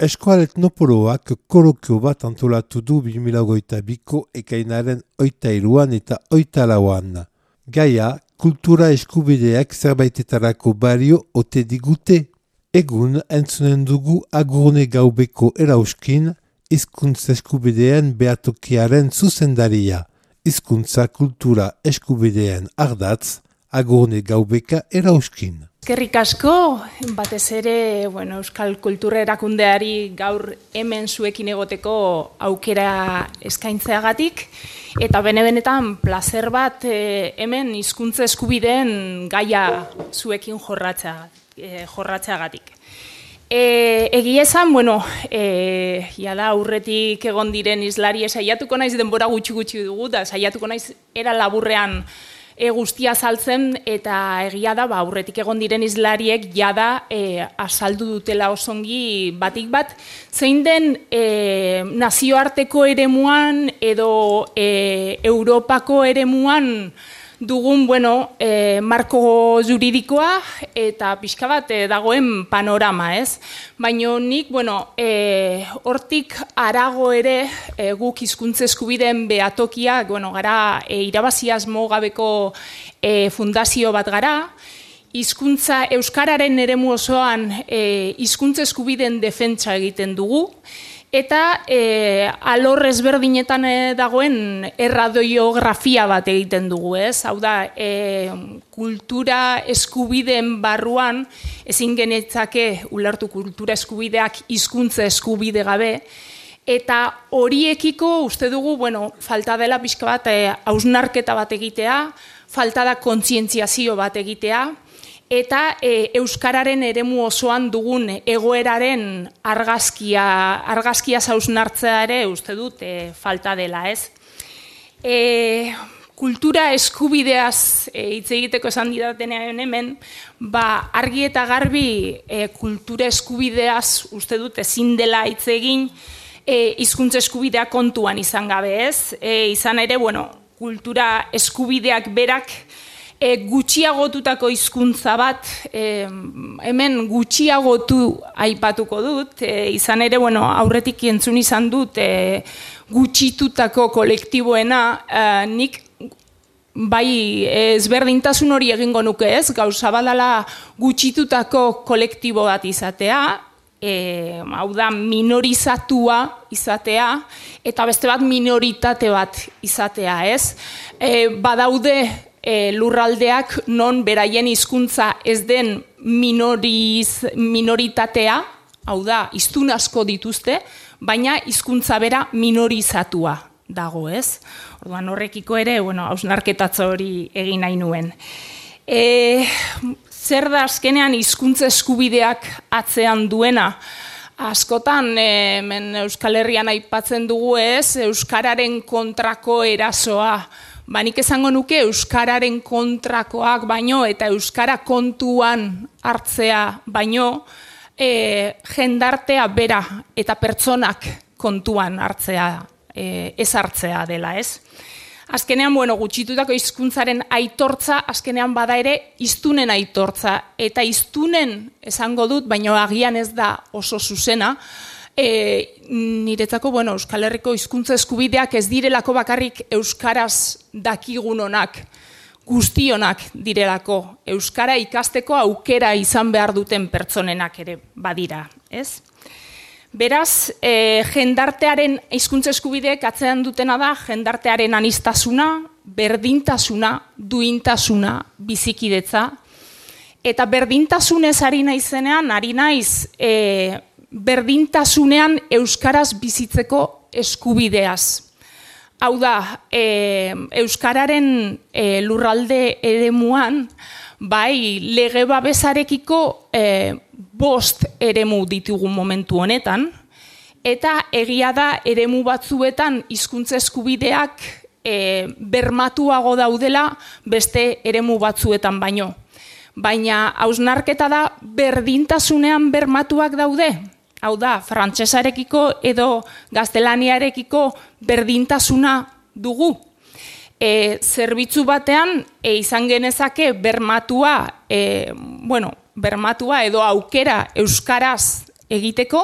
Eskoal Etnopoloak kolokio bat antolatu du 2022ko ekainaren 23an eta 24an. Gaia, kultura eskubideak zerbaitetarako balio ote digute. Egun entzunen dugu Agurne Gaubeko erauskin, hizkuntza eskubideen behatokiaren zuzendaria. Hizkuntza kultura eskubideen ardatz, Agurne Gaubeka erauskin. Eskerrik asko, batez ere, Euskal Kultura Erakundeari gaur hemen zuekin egoteko aukera eskaintzeagatik, eta benetan plazer bat hemen hizkuntza eskubideen gaia zuekin jorratzeagatik. Egia esan, jada aurretik egon diren hizlari saiatuko naiz denbora gutxi dugu, da saiatuko naiz era laburrean guztia azaltzen, eta egia da, aurretik egon diren hizlariek jada azaldu dutela osongi batik bat, zein den nazioarteko eremuan edo Europako eremuan dugun, marko juridikoa eta pixka bat dagoen panorama, ez? Baina nik, hortik harago ere guk hizkuntza eskubideen behatokia, gara irabazi asmo gabeko fundazio bat gara, hizkuntza euskararen eremu osoan hizkuntza eskubideen defentsa egiten dugu, eta alor ezberdinetan dagoen erradiografia bat egiten dugu, ez? Hau da, kultura eskubideen barruan ezin genetzake ulertu kultura eskubideak hizkuntza eskubide gabe, eta horiekiko uste dugu, falta dela pixka bat hausnarketa bat egitea, falta da kontzientziazio bat egitea, eta euskararen eremu osoan dugun egoeraren argazkia hausnartzea ere uste dut falta dela, ez? Kultura eskubideaz hitz egiteko esan didatenean hemen, argi eta garbi kultura eskubideaz uste dut ezin dela hitz egin hizkuntza eskubidea kontuan izan gabe, ez? Izan ere, kultura eskubideak berak gutxiagotutako hizkuntza bat, hemen gutxiagotu aipatuko dut, izan ere, aurretik entzun izan dut gutxitutako kolektiboena, nik bai ezberdintasun hori egingo nuke, ez? Gauza badala gutxitutako kolektibo bat izatea, hau da minorizatua izatea, eta beste bat minoritate bat izatea, ez? Badaude lurraldeak non beraien hizkuntza ez den minoritatea, hau da, hiztun asko dituzte, baina hizkuntza bera minorizatua dago, ez? Orduan horrekiko ere, hausnarketatze hori egin nahi nuen. Zer da azkenean hizkuntza eskubideak atzean duena? Askotan, Euskal Herrian aipatzen dugu, ez? Euskararen kontrako erasoa. Nik esango nuke euskararen kontrakoak baino eta euskara kontuan hartzea baino jendartea bera eta pertsonak kontuan hartzea, ez hartzea dela, ez? Azkenean, gutxitutako hizkuntzaren aitortza, azkenean bada ere hiztunen aitortza, eta hiztunen esango dut, baino agian ez da oso zuzena, niretzako, Euskal Herriko hizkuntza eskubideak ez direlako bakarrik euskaraz dakigunonak, guztionak direlako, euskara ikasteko aukera izan behar duten pertsonenak ere badira, ez? Beraz, jendartearen hizkuntza eskubideek atzean dutena da, jendartearen aniztasuna, berdintasuna, duintasuna, bizikidetza, eta berdintasunez ari naizenean, ari naiz berdintasunean euskaraz bizitzeko eskubideaz. Hau da, euskararen lurralde eremuan, bai lege babesarekiko 5 eremu ditugu momentu honetan, eta egia da eremu batzuetan hizkuntza eskubideak bermatuago daudela beste eremu batzuetan baino. Baina hausnarketa da berdintasunean bermatuak daude. Hau da, frantsesarekiko edo gaztelaniarekiko berdintasuna dugu. Zerbitzu batean izan genezake bermatua edo aukera euskaraz egiteko,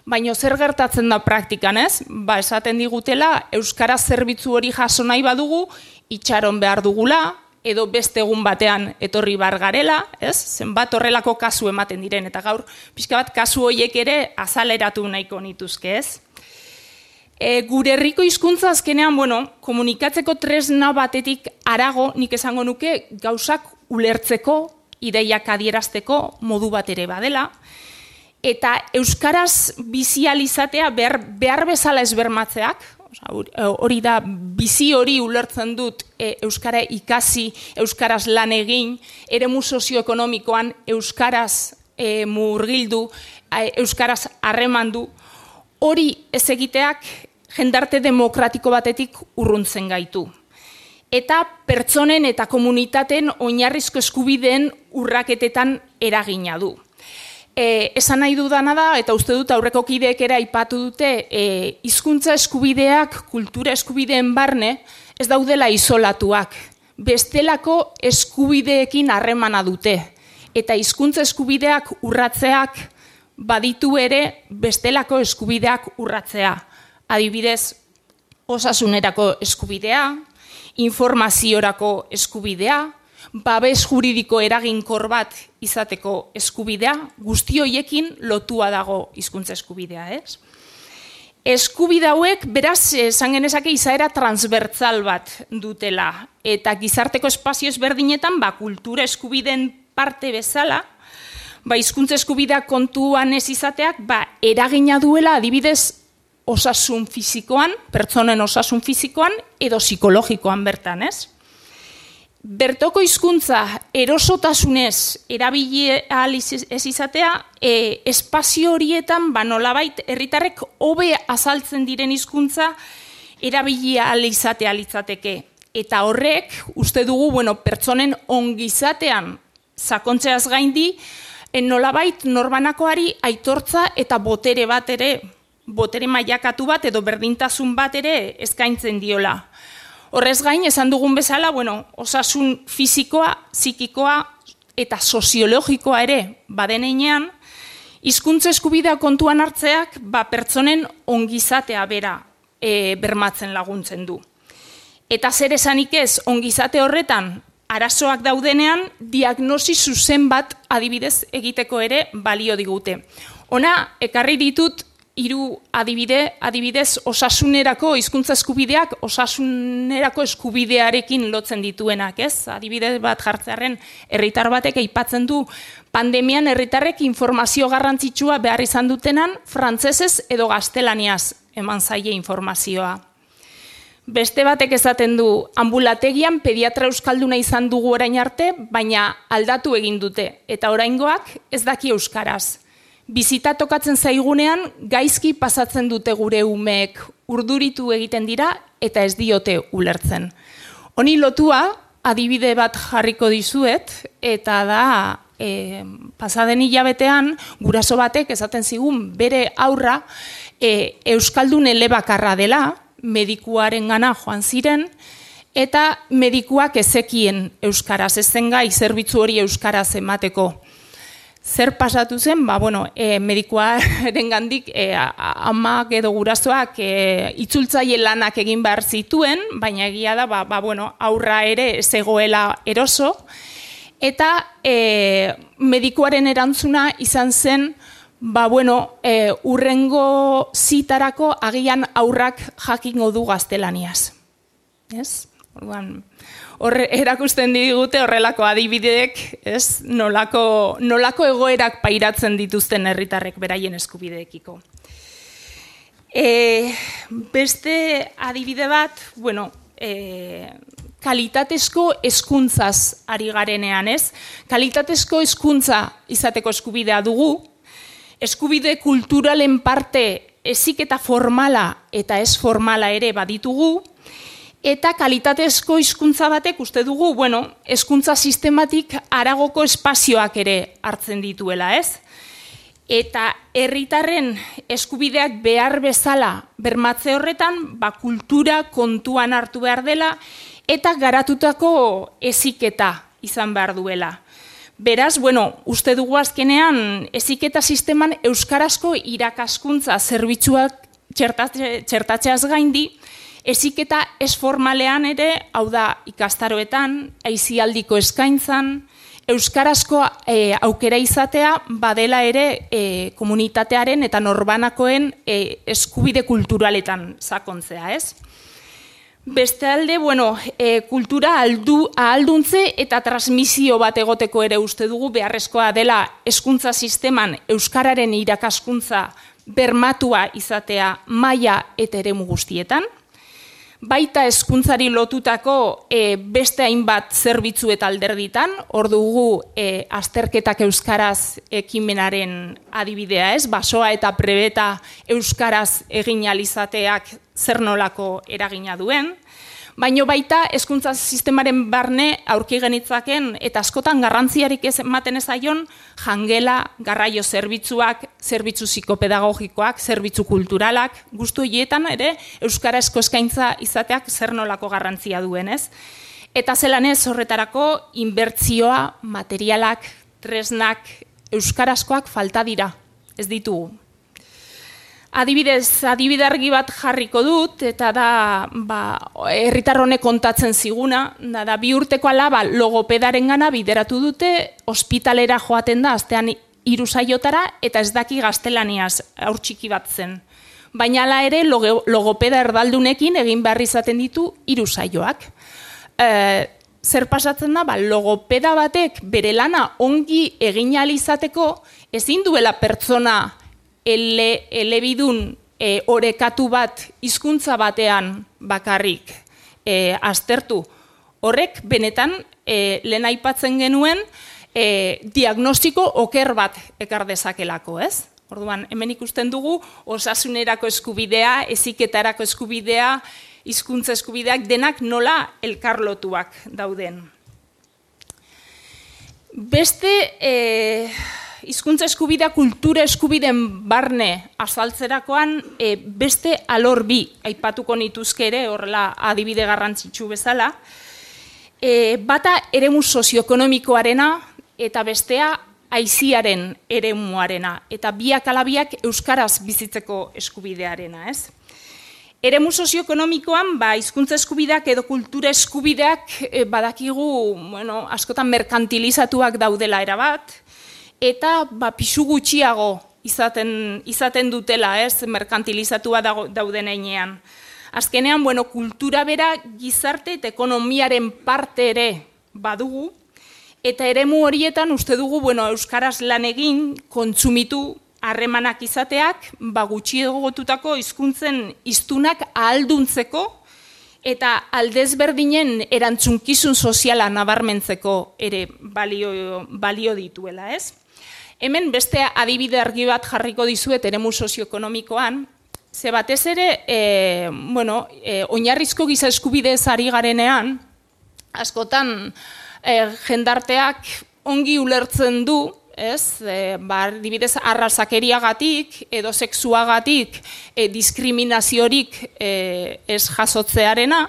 Baina zer gertatzen da praktikan, ez? Esaten digutela, euskara zerbitzu hori jaso nahi badugu, itxaron behar dugula, edo beste egun batean etorri bar garela, ez? Zenbat horrelako kasu ematen diren, eta gaur pixka bat kasu horiek ere azaleratu nahiko nituzke, ez? Gure herriko hizkuntza azkenean, komunikatzeko tresna batetik harago, nik esango nuke, gauzak ulertzeko, ideiak adierazteko modu bat ere badela, eta euskaraz bizializatea behar bezala ez bermatzeak, hori da, bizi hori ulertzen dut euskara ikasi, euskaraz lan egin, eremu sozioekonomikoan euskaraz murgildu, euskaraz harremandu, hori ez egiteak jendarte demokratiko batetik urruntzen gaitu. Eta pertsonen eta komunitateen oinarrizko eskubideen urraketetan eragina du. Esan nahi dudana da, eta uste dut aurreko kideek ere aipatu dute, hizkuntza eskubideak, kultura eskubideen barne, ez daudela isolatuak. Bestelako eskubideekin harremana dute. Eta hizkuntza eskubideak urratzeak baditu ere bestelako eskubideak urratzea. Adibidez, osasunerako eskubidea, informaziorako eskubidea, babes juridiko eraginkor bat izateko eskubidea, guzti horiekin lotua dago hizkuntza eskubidea, ez? Eskubide hauek, beraz, esan genezake izaera transbertsal bat dutela, eta gizarteko espazio ezberdinetan, kultura eskubideen parte bezala, hizkuntza eskubideak kontuan ez izateak, eragina duela adibidez osasun fisikoan, pertsonen osasun fisikoan, edo psikologikoan bertan, ez? Bertoko hizkuntza erosotasunez erabili ahal ez izatea, espazio horietan nolabait herritarrek hobe azaltzen diren hizkuntza erabili ahal izatea litzateke. Eta horrek, uste dugu, pertsonen ongizatean sakontzeaz gaindi, nolabait norbanakoari aitortza eta botere bat ere, botere mailakatu bat edo berdintasun bat ere eskaintzen diola. Horrez gain, esan dugun bezala, osasun fisikoa, psikikoa eta soziologikoa ere badenean, hizkuntza eskubidea kontuan hartzeak pertsonen ongizatea bera bermatzen laguntzen du. Eta zer esanik ez, ongizate horretan arazoak daudenean, diagnosi zuzen bat adibidez egiteko ere balio digute. Ona, ekarri ditut, 3 adibidez osasunerako hizkuntza eskubideak osasunerako eskubidearekin lotzen dituenak, ez? Adibide bat jartzearren herritar batek aipatzen du pandemian herritarrek informazio garrantzitsua behar izan dutenan frantsesez edo gaztelaniaz eman zaie informazioa. Beste batek esaten du ambulategian pediatra euskalduna izan dugu orain arte, baina aldatu egin dute eta oraingoak ez daki euskaraz. Bizita tokatzen zaigunean, gaizki pasatzen dute gure umeek, urduritu egiten dira eta ez diote ulertzen. Honi lotua, adibide bat jarriko dizuet, eta da, pasaden hilabetean, guraso batek esaten zigun bere aurra euskaldun elebakarra dela, medikuaren gana joan ziren, eta medikuak ezekien euskaraz, ezen gai zerbitzu hori euskaraz emateko. Zer pasatu zen, medikuaren gandik amak edo gurasoak itzultzaile lanak egin behar zituen, baina egia da, aurra ere zegoela eroso, eta medikuaren erantzuna izan zen, urrengo zitarako agian aurrak jakingo du gaztelaniaz. Ez? Hor erakusten digute horrelako adibideek, ez? Nolako egoerak pairatzen dituzten herritarrek beraien eskubideekiko. Beste adibide bat, kalitatezko hezkuntzaz ari garenean, ez? Kalitatezko hezkuntza izateko eskubidea dugu, eskubide kulturalen parte heziketa formala eta ez formala ere baditugu, eta kalitatezko hizkuntza batek uste dugu, hezkuntza sistematik haragoko espazioak ere hartzen dituela, ez? Eta herritarren eskubideak behar bezala bermatze horretan, kultura kontuan hartu behar dela, eta garatutako heziketa izan behar duela. Beraz, uste dugu azkenean, heziketa sisteman euskarazko irakaskuntza zerbitzuak txertatzeaz gaindi, heziketa ez formalean ere, hau da ikastaroetan, aisialdiko eskaintzan, euskarazko aukera izatea badela ere komunitatearen eta norbanakoen eskubide kulturaletan sakontzea, ez? Beste alde, kultura ahalduntze eta transmisio bat egoteko ere uste dugu beharrezkoa dela hezkuntza sisteman euskararen irakaskuntza bermatua izatea maila eta eremu guztietan. Baita hezkuntzari lotutako beste hainbat zerbitzu eta alderditan, hor dugu azterketak euskaraz ekimenaren adibidea, ez? Basoa eta prebeta euskaraz egin ahal izateak zer nolako eragina duen, baino baita hezkuntza sistemaren barne aurki genitzaken eta askotan garrantziarik ematen ez zaion jangela, garraio zerbitzuak, zerbitzu psikopedagogikoak, zerbitzu kulturalak, guztu horietan ere euskarazko eskaintza izateak zer nolako garrantzia duen, ez? Eta zelan ez horretarako inbertsioa, materialak, tresnak, euskarazkoak falta dira, ez ditugu. Adibidez, adibide argi bat jarriko dut, eta da, herritar honek kontatzen ziguna, da 2 urteko alaba logopedaren gana bideratu dute, ospitalera joaten da, astean 3 saiotara, eta ez daki gaztelaniaz haur txiki bat zen. Baina hala ere, logopeda erdaldunekin egin behar izaten ditu 3 saioak. Zer pasatzen da, logopeda batek bere lana ongi egin ahal izateko, ezin duela pertsona elebidun orekatu bat hizkuntza batean bakarrik aztertu. Horrek benetan lehen aipatzen genuen diagnostiko oker bat ekar dezakelako, ez? Orduan, hemen ikusten dugu osasunerako eskubidea, heziketarako eskubidea, hizkuntza eskubideak denak nola elkarlotuak dauden. Beste hizkuntza eskubidea kultura eskubideen barne azaltzerakoan beste alor bi aipatuko nituzke ere, horrela adibide garrantzitsu bezala. Bata eremu sozioekonomikoarena eta bestea aisiaren eremuarena, eta biak ala biak euskaraz bizitzeko eskubidearena, ez? Eremu sozioekonomikoan, hizkuntza eskubideak edo kultura eskubideak badakigu, askotan merkantilizatuak daudela erabat, eta pisu gutxiago izaten dutela, ez, merkantilizatua dauden heinean. Azkenean, kultura bera gizarte eta ekonomiaren parte ere badugu, eta eremu horietan uste dugu, euskaraz lan egin, kontsumitu, harremanak izateak, gutxiagotutako hizkuntzen hiztunak ahalduntzeko, eta aldezberdinen erantzunkizun soziala nabarmentzeko ere balio dituela, ez? Hemen beste adibide argi bat jarriko dizuet eremu sozioekonomikoan, ze batez ere, oinarrizko giza eskubidez ari garenean, askotan jendarteak ongi ulertzen du, ez, adibidez arrazakeriagatik edo sexuagatik diskriminaziorik ez jasotzearena,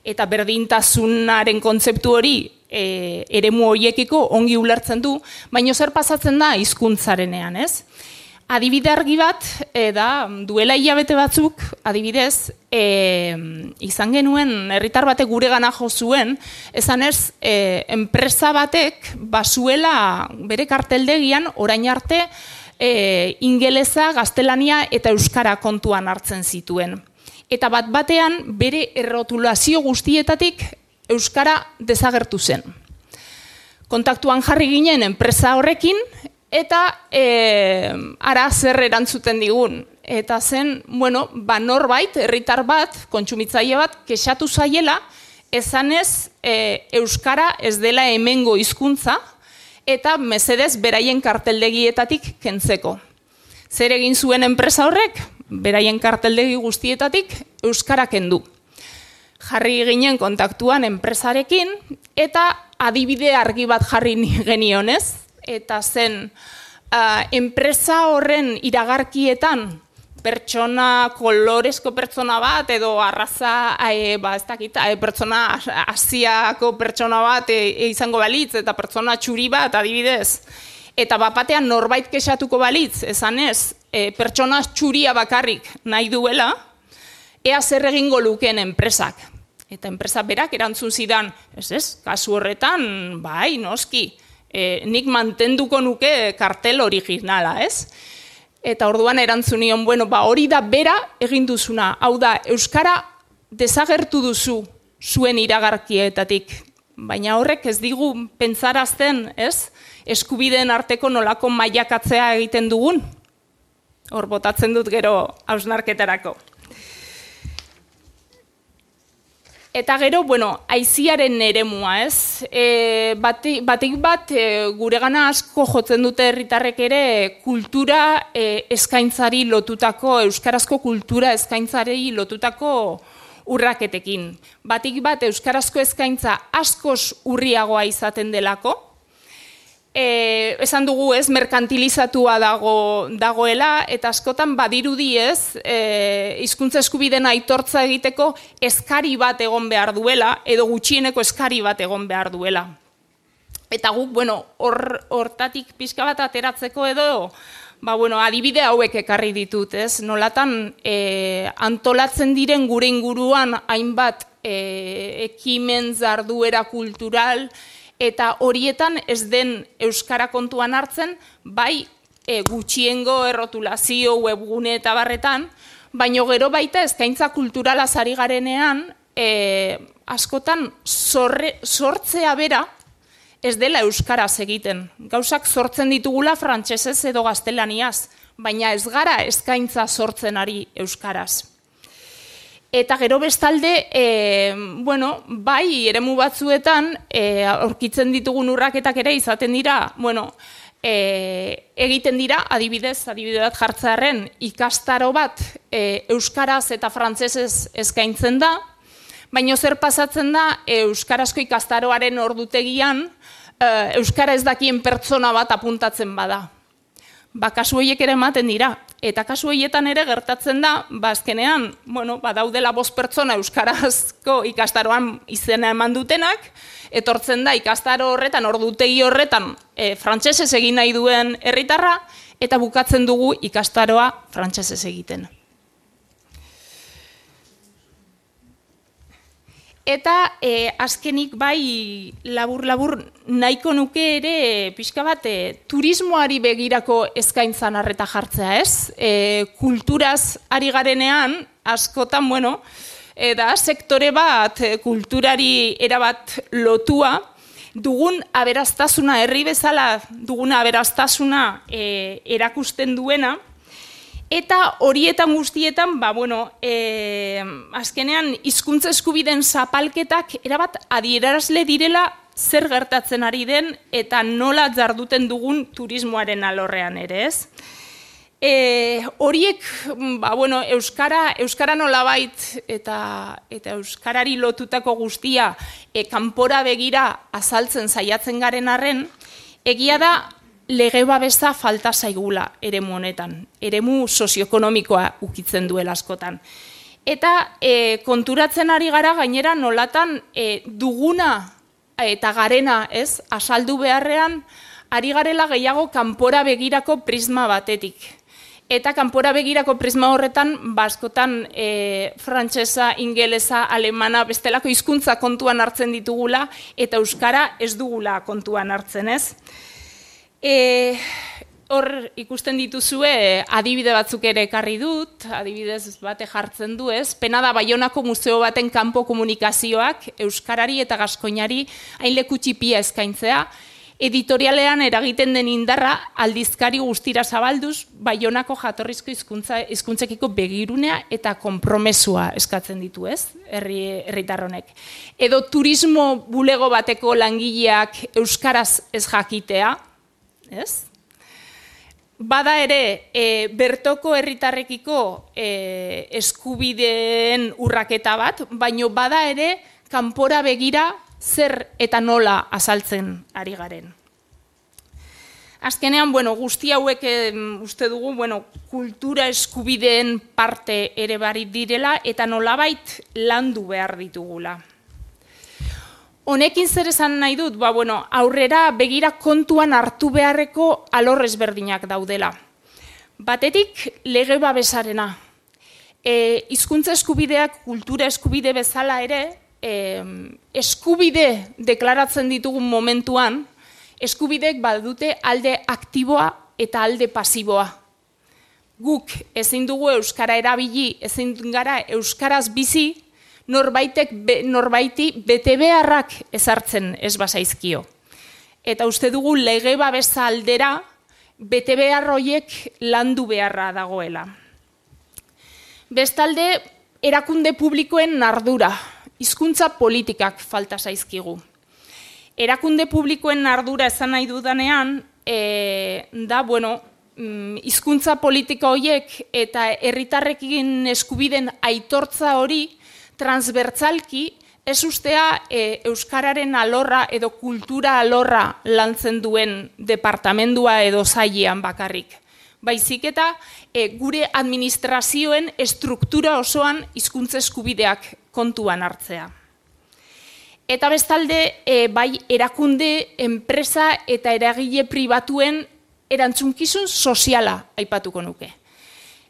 eta berdintasunaren kontzeptu hori eremu horiekiko ongi ulertzen du, baina zer pasatzen da hizkuntzarenean, ez? Adibide argi bat, duela hilabete batzuk, adibidez, izan genuen, herritar batek guregana jo zuen, esanez, enpresa batek bazuela bere karteldegian orain arte ingelesa, gaztelania eta euskara kontuan hartzen zituen. Eta batean bere errotulazio guztietatik euskara desagertu zen. Kontaktuan jarri ginen enpresa horrekin, eta ara zer erantzuten digun. Eta zen, norbait, herritar bat, kontsumitzaile bat, kexatu zaiela, esanez euskara ez dela hemengo hizkuntza, eta mesedez beraien karteldegietatik kentzeko. Zer egin zuen enpresa horrek? Beraien karteldegi guztietatik euskara kendu. Jarri ginen kontaktuan enpresarekin, eta adibide argi bat jarri genionez, eta zen enpresa horren iragarkietan pertsona, kolorezko pertsona bat, edo arraza, ez dakit, pertsona asiako pertsona bat izango balitz, eta pertsona txuri bat, adibidez. Eta bapatean norbait kexatuko balitz, esanez, pertsona txuria bakarrik nahi duela, ea zer egingo lukeen enpresak. Eta enpresa berak erantzun zidan, kasu horretan, bai, noski, nik mantenduko nuke kartel originala, ez? Eta orduan erantzun nion, hori da bera egin duzuna, hau da, euskara desagertu duzu zuen iragarkietatik, baina horrek ez digu pentsarazten, ez? Eskubideen arteko nolako mailakatzea egiten dugun, hor botatzen dut gero hausnarketarako. Eta gero, aiziaren eremua, ez? Batik bat, guregana asko jotzen dute herritarrek ere kultura eskaintzari lotutako, euskarazko kultura eskaintzari lotutako urraketekin. Batik bat, euskarazko eskaintza askoz urriagoa izaten delako, esan dugu ez, merkantilizatua dagoela, eta askotan badirudi ez, hizkuntza eskubideen aitortza egiteko eskari bat egon behar duela, edo gutxieneko eskari bat egon behar duela. Eta guk, hortatik pixka bat ateratzeko edo, adibide hauek ekarri ditut, ez? Nolatan antolatzen diren gure inguruan hainbat ekimen jarduera kultural, eta horietan ez den euskara kontuan hartzen, bai gutxiengo errotulazio, webgune eta barretan, baino gero baita eskaintza kulturala ari garenean, askotan sortzea bera ez dela euskaraz egiten. Gauzak sortzen ditugula frantsesez edo gaztelaniaz, baina ez gara eskaintza sortzen ari euskaraz. Eta gero bestalde, bai, eremu batzuetan, aurkitzen ditugun urraketak ere izaten dira, egiten dira, adibide bat jartzearen, ikastaro bat euskaraz eta frantsesez eskaintzen da, baina zer pasatzen da, euskarazko ikastaroaren ordutegian, euskara ez dakien pertsona bat apuntatzen bada. Kasu horiek ere ematen dira. Eta kasu horietan ere gertatzen da, azkenean, badaudela 5 pertsona euskarazko ikastaroan izena eman dutenak, etortzen da ikastaro horretan, ordutegi horretan, frantsesez egin nahi duen herritarra, eta bukatzen dugu ikastaroa frantsesez egiten. Eta azkenik bai labur-labur nahiko nuke ere pixka bat turismoari begirako eskaintzan arreta jartzea, ez? Kulturaz ari garenean, askotan, da sektore bat kulturari erabat lotua, dugun aberastasuna, herri bezala dugun aberastasuna erakusten duena, eta horietan guztietan, azkenean hizkuntza eskubideen zapalketak erabat adierazle direla zer gertatzen ari den eta nola jarduten dugun turismoaren alorrean ere, ez? Horiek, euskara nolabait eta euskarari lotutako guztia kanpora begira azaltzen saiatzen garen arren, egia da lege babesa falta zaigula eremu honetan, eremu sozioekonomikoa ukitzen duela askotan. Eta konturatzen ari gara gainera nolatan duguna eta garena, ez, azaldu beharrean, ari garela gehiago kanpora begirako prisma batetik. Eta kanpora begirako prisma horretan, askotan frantsesa, ingelesa, alemana, bestelako hizkuntza kontuan hartzen ditugula, eta euskara ez dugula kontuan hartzen, ez? Hor ikusten dituzue adibide batzuk ere ekarri dut, adibidez bate jartzen du, ez? Pena da Baionako museo baten kanpo komunikazioak euskarari eta gaskoinari hain leku txipia eskaintzea, editorialean eragiten den indarra aldizkari guztira zabalduz Baionako jatorrizko hizkuntzekiko begirunea eta konpromesua eskatzen ditu, ez? Herritar honek. Edo turismo bulego bateko langileak euskaraz ez jakitea, ez? Bada ere, bertoko herritarrekiko eskubideen urraketa bat, baino bada ere, kanpora begira zer eta nola azaltzen ari garen. Azkenean, guzti hauek uste dugu, kultura eskubideen parte ere barit direla eta nolabait landu behar ditugula. Honekin zer esan nahi dut, aurrera begira kontuan hartu beharreko alor ezberdinak daudela. Batetik, lege babesarena. Hizkuntza eskubideak kultura eskubide bezala ere, eskubide deklaratzen ditugun momentuan, eskubideek badute alde aktiboa eta alde pasiboa. Guk ezin dugu euskara erabili, ezin gara euskaraz bizi, norbaiti bete beharrak ezartzen ez bazaizkio. Eta uste dugu lege babesa aldera bete behar horiek landu beharra dagoela. Bestalde, erakunde publikoen ardura, hizkuntza politikak falta zaizkigu. Erakunde publikoen ardura esan nahi dudanean, hizkuntza politika horiek eta herritarrekin eskubiden aitortza hori transbertzalki ez ustea euskararen alorra edo kultura alorra lantzen duen departamendua edo sailean bakarrik. Baizik eta gure administrazioen estruktura osoan hizkuntza eskubideak kontuan hartzea. Eta bestalde, bai erakunde, enpresa eta eragile pribatuen erantzunkizun soziala aipatuko nuke.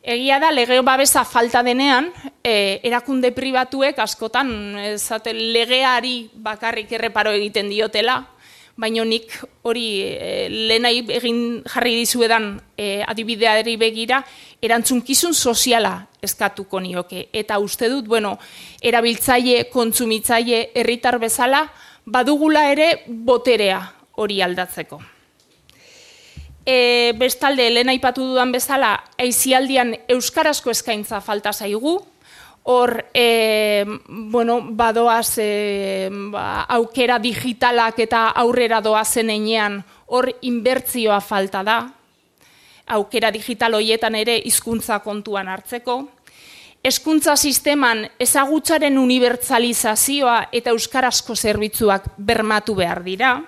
Egia da, lege babesa falta denean, erakunde pribatuek askotan legeari bakarrik erreparo egiten diotela, baina nik hori lehenai egin jarri dizuedan adibideari begira, erantzunkizun soziala eskatuko nioke. Eta uste dut, erabiltzaile, kontsumitzaile, herritar bezala, badugula ere boterea hori aldatzeko. Bestalde, lehen aipatu dudan bezala, aisialdian euskarazko eskaintza falta zaigu, hor, badoaz aukera digitalak eta aurrera doazen enean, hor inbertzioa falta da, aukera digital horietan ere hizkuntza kontuan hartzeko. Hezkuntza sisteman ezagutzaren unibertsalizazioa eta euskarazko zerbitzuak bermatu behar dira.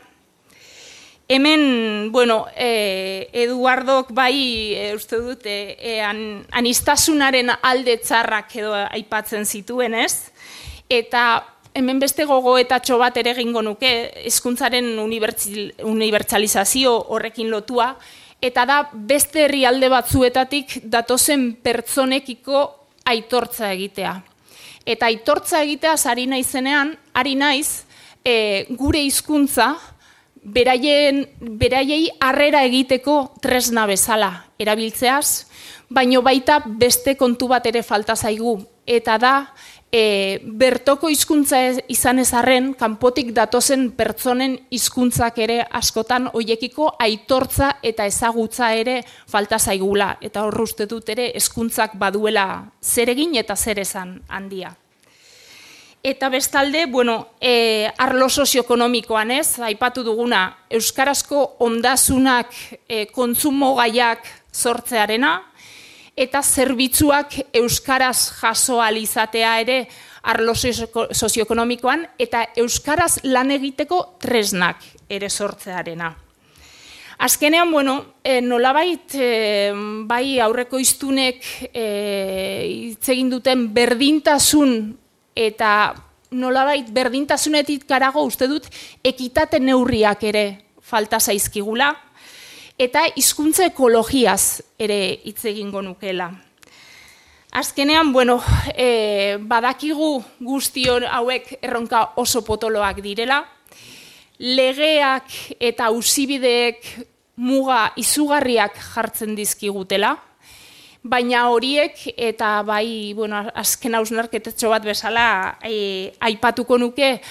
Hemen, Eduardok bai, uste dut, aniztasunaren alde txarrak edo aipatzen zituen, ez? Eta hemen beste gogoetatxo bat ere egingo nuke, hezkuntzaren unibertsalizazio horrekin lotua, eta da beste herrialde batzuetatik datozen pertsonekiko aitortza egitea. Eta aitortza egitea ari naizenean, ari naiz, gure hizkuntza, beraiei harrera egiteko tresna bezala erabiltzeaz, baino baita beste kontu bat ere falta zaigu. Eta da, bertoko hizkuntza izan ez arren, kanpotik datozen pertsonen hizkuntzak ere askotan hoiekiko aitortza eta ezagutza ere falta zaigula. Eta hor uste dut ere hezkuntzak baduela zer egin eta zer esan handia. Eta bestalde, arlo sozioekonomikoan ez, aipatu duguna, euskarazko ondasunak kontsumo gaiak sortzearena, eta zerbitzuak euskaraz jaso ahal izatea ere arlo sozioekonomikoan, eta euskaraz lan egiteko tresnak ere sortzearena. Azkenean, nolabait, bai aurreko hiztunek hitz egin duten berdintasun eta nolabait berdintasunetik karago uste dut ekitate neurriak ere falta zaizkigula eta hizkuntza ekologiaz ere hitz egingo nukela. Azkenean, badakigu guztion hauek erronka oso potoloak direla, legeak eta auzibideek muga izugarriak jartzen dizkigutela, baina horiek eta bai, azken hausnarketetxo bat bezala aipatuko nuke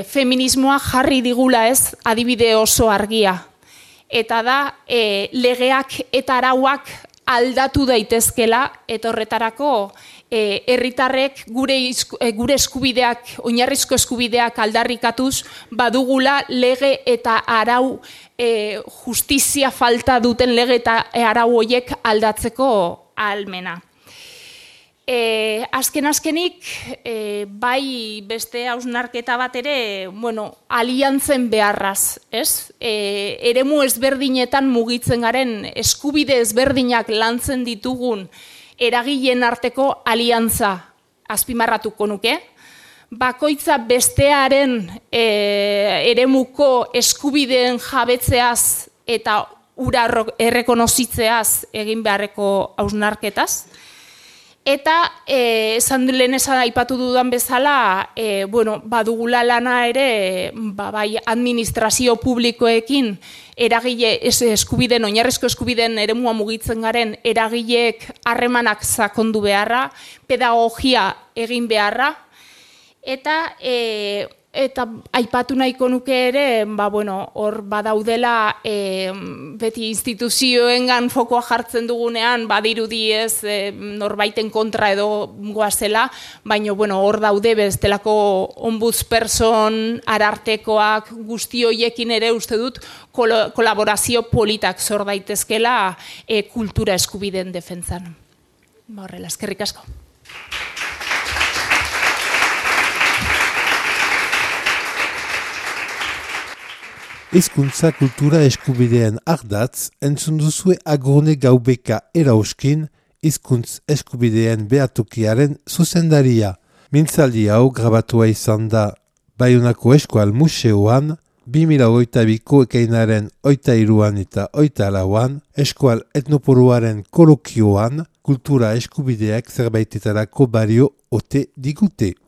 feminismoa jarri digula ez adibide oso argia. Eta da legeak eta arauak aldatu daitezkela eta horretarako herritarrek gure eskubideak, oinarrizko eskubideak aldarrikatuz badugula lege eta arau justizia falta duten lege eta arau horiek aldatzeko ahalmena. Azkenik, bai beste hausnarketa bat ere, aliantzen beharraz, ez? Eremu ezberdinetan mugitzen garen, eskubide ezberdinak lantzen ditugun eragileen arteko aliantza azpimarratuko nuke. Bakoitza bestearen eremuko eskubideen jabetzeaz eta ura errekonozitzeaz egin beharreko hausnarketaz. Eta, lehen aipatu dudan bezala, badugula lana ere, bai administrazio publikoekin eragile eskubideen, oinarrizko eskubideen eremua mugitzen garen eragileek harremanak sakondu beharra, pedagogia egin beharra, eta aipatu nahiko nuke ere, hor badaudela beti instituzioengan fokoa jartzen dugunean, badirudi ez norbaiten kontra edo goazela, baina hor daude bestelako ombudsperson, arartekoak, guzti horiekin ere uste dut kolaborazio politak zor daitezkela kultura eskubideen defentsan. Horrela, eskerrik asko. Hizkuntza kultura eskubideen ardatz, entzun duzue Agurne Gaubeka erauskin, hizkuntz eskubideen behatokiaren zuzendaria. Mintzaldi hau grabatua izan da Baionako Eskual Museoan, 2022ko ekainaren 23an eta 24an, Eskual Etnoporuaren kolokioan, kultura eskubideak zerbaitetarako balio ote digute.